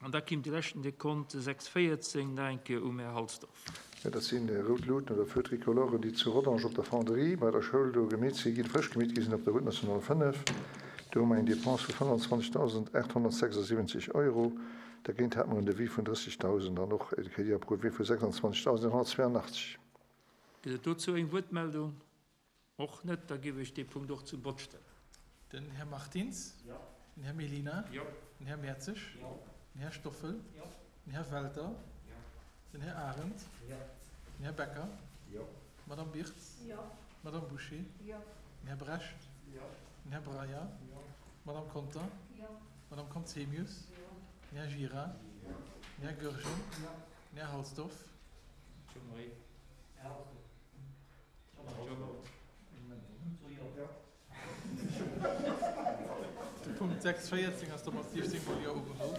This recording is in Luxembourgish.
An da kimm de leschten Dekont, 6,14, nach eng Kéier um Här Halsdorf. Jo, dat sinn rout Luuten oder Feux tricolores, déi zu Rodange op der Fonderie bei der Schoul do gemeet si ginn, frësch gemeet gi sinn op der Route nationale 5. Do hu mer eng Dépense vu 25.876 Euro. Dergéint hate mer en Devis vun 30.000 an och e Crédit approuvé vu 26.182. Gëtt et dozou eng Wuertmeldung? Och net. Da géif ech dee Punkt och zum Vott stellen. Den Här Martins. Den Här Mellina. Den Här Mertzig. Den Här Stoffel. Den Här Welter. Den Här Arendt. Den Här Becker. D'Madame Birtz. D'Madame Bouché. Den Här Brecht. Den Här Breyer. D'Madame Conter. D'Madame Conzemius. Den Här Gira. Den Här Goergen. Den Här Halsdorf. De Punkt 6, 14 ass domat 16 mol Jo ugeholl.